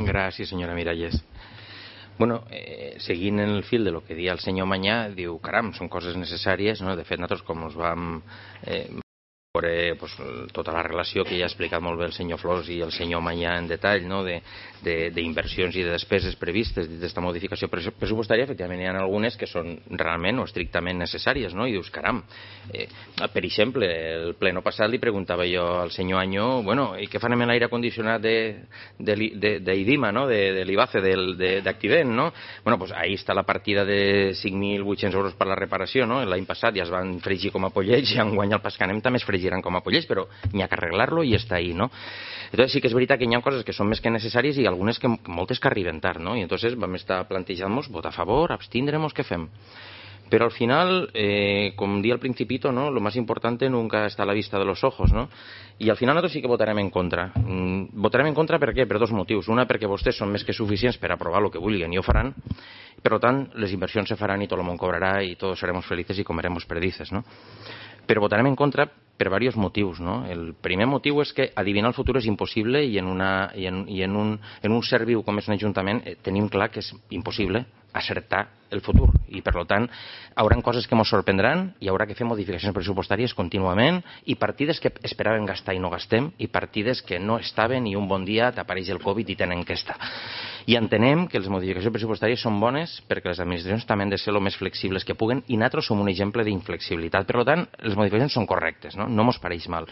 Gràcies, senyora Miralles. Bueno, seguint en el fil de lo que dia el senyor Manyà, diu, caram, són coses necessàries, no? De fet, nosaltres com ens vam veure tota la relació que ja ha explicat molt bé el senyor Flors i el senyor Manyà en detall, no? D'inversions i de despeses previstes d'aquesta modificació pressupostària, efectivament hi ha algunes que són realment o estrictament necessàries, no? I dius, caram, per exemple, el pleno passat li preguntava jo al senyor Anyó, bueno, i què farem amb l'aire condicionat d'Idima, no? De l'IBACE, d'Activent, no? Bueno, doncs ahí està la partida de 5.800 euros per la reparació, no? L'any passat ja es van fregir com a pollets i enguany al Pascanem també es fregiran com a pollets, però n'hi ha que arreglar-lo i està ahí, no? Entonces sí que és veritat que hi ha coses que són més que necessàries i algunes que moltes que arriben tard, no? I entonces vam estar plantejant-nos votar a favor, abstindremos, què fem? Pero al final, como di al principito, ¿no? Lo más importante nunca está a la vista de los ojos, ¿no? I al final nosaltres sí que votarem en contra. Votarem en contra per què? Per dos motius. Una, perquè vostès són més que suficients per aprovar el que vulguin i ho faran. Per tant, les inversions se faran i tot el món cobrarà i tots seremos felices i comeremos perdices, no? Però votarem en contra per diversos motius, no? El primer motiu és que adivinar el futur és impossible i en un ser viu com és un ajuntament tenim clar que és impossible acertar el futur i per tant hauran coses que ens sorprendran i haurà que fer modificacions pressupostàries contínuament i partides que esperàvem gastar i no gastem i partides que no estaven i un bon dia t'apareix el Covid i tenen que estar. I entenem que les modificacions pressupostàries són bones perquè les administracions també han de ser el més flexibles que puguen i nosaltres som un exemple d'inflexibilitat. Per tant, les modificacions són correctes, no ens pareix mal.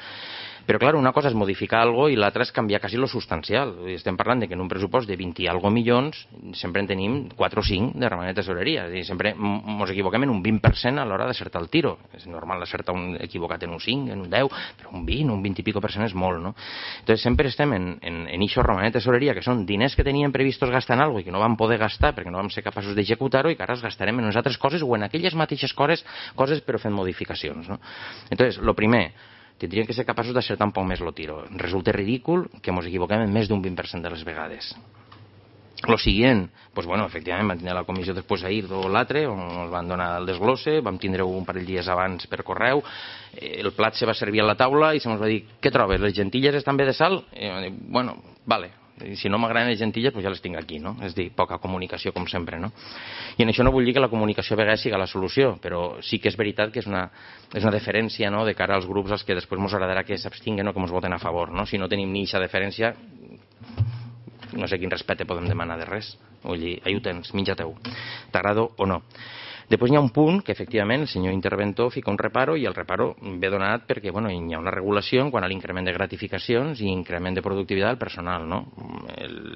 Però, clar, una cosa és modificar alguna cosa i l'altra és canviar quasi lo substancial. Estem parlant de que en un pressupost de 20 i algo milions sempre en tenim 4 o 5 de romanent de tesoreria. És a dir, sempre ens equivoquem en un 20% a l'hora d'acertar el tiro. És normal acertar equivocat en un 5, en un 10, però un 20, un 20 i pico % és molt, no? Entonces sempre estem en això romanent de tesoreria, que són diners que teníem previstos gastar en alguna cosa i que no vam poder gastar perquè no vam ser capaços d'executar-ho i que ara els gastarem en unes altres coses o en aquelles mateixes coses però fent modificacions, no? Entonces, lo primer, tindríem que ser capaços d'acertar un poc més el tiro. Resulta ridícul que ens equivoquem en més d'un 20% de les vegades. Lo siguiente, pues bueno, efectivament vam tindre la comissió després ahir o l'altre, on ens van donar el desglosse, vam tindre un parell de dies abans per correu, el plat se va servir a la taula i se ens va dir, què trobes, les gentilles estan bé de sal? I vam dir, bueno, vale, si no m'agraden les gentilles, pues ja les tinc aquí, no? És dir, poca comunicació, com sempre, no? I en això no vull dir que la comunicació a vegades sigui la solució, però sí que és veritat que és una deferència, no?, de cara als grups als que després ens agradarà que s'abstinguen o que ens voten a favor, no? Si no tenim ni aquesta deferència, no sé quin respecte podem demanar de res. Vull dir, ahí ho tens, menja-teu, t'agrado o no. Després hi ha un punt que efectivament el senyor interventor fica un reparo i el reparo ve donat perquè bueno, hi ha una regulació en quant a l'increment de gratificacions i increment de productivitat del personal, no?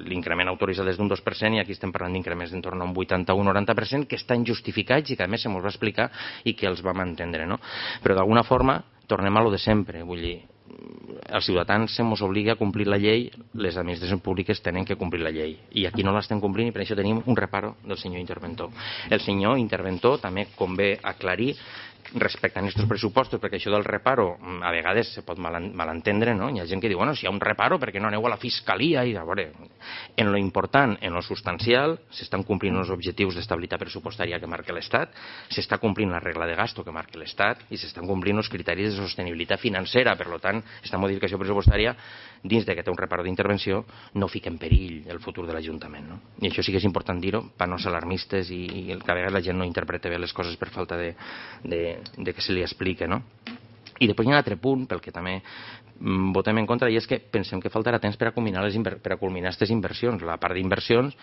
L'increment autoritzat és d'un 2% i aquí estem parlant d'increments d'entorn a un 81-90% que estan justificats i que a més se mos va explicar i que els vam entendre, no? Però d'alguna forma tornem a lo de sempre, vull dir, els ciutadans se mos obliga a complir la llei, les administracions públiques tenen que complir la llei i aquí no l'estem complint i per això tenim un reparo del senyor interventor. El senyor interventor també convé aclarir respecte a aquests pressupostos, perquè això del reparo a vegades se pot malentendre, no? Hi ha gent que diu, bueno, si hi ha un reparo, per què no aneu a la fiscalia? I a veure, en lo important, en lo substancial, s'estan complint els objectius d'estabilitat pressupostària que marca l'Estat, s'està complint la regla de gasto que marca l'Estat i s'estan complint els criteris de sostenibilitat financera. Per tant, aquesta modificació pressupostària, dins de que té un reparo d'intervenció, no fica en perill el futur de l'Ajuntament, no? I això sí que és important dir-ho, per no ser alarmistes i que a vegades la gent no interpreta bé les coses per falta de que se li explique, no? I després hi ha un altre punt pel que també votem en contra i és que pensem que faltarà temps per a culminar aquestes inversions. La part d'inversions,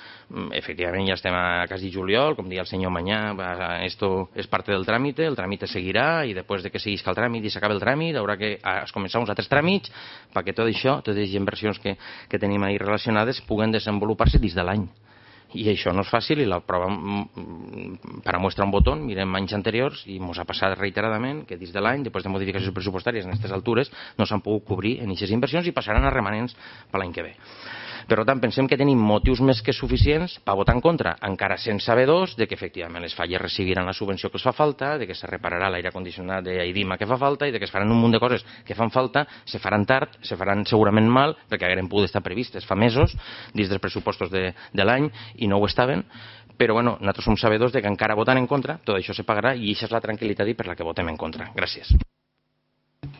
efectivament ja estem a quasi juliol, com deia el senyor Manyà, esto és parte del tràmite, el tràmite seguirà i després de que seguisca el tràmit i s'acabi el tràmit haurà que començar uns altres tràmits perquè tot això, totes les inversions que tenim ahí relacionades puguen desenvolupar-se dins de l'any. I això no és fàcil i la prova per a mostrar un botó, mirem anys anteriors i ens ha passat reiteradament que dins de l'any, després de modificacions pressupostàries en aquestes altures, no s'han pogut cobrir en aquestes inversions i passaran a remanents per l'any que ve. Per tant, pensem que tenim motius més que suficients per votar en contra, encara sense sabedors de que efectivament les falles recibiran la subvenció que els fa falta, de que se repararà l'aire condicionat d'Idima que fa falta i de que es faran un munt de coses que fan falta, se faran tard, se faran segurament mal, perquè hagueren pogut estar previstes fa mesos dins dels pressupostos de l'any i no ho estaven, però bueno, nosaltres som sabedors de que encara votant en contra tot això se pagarà i això és la tranquil·litat i per la que votem en contra. Gràcies.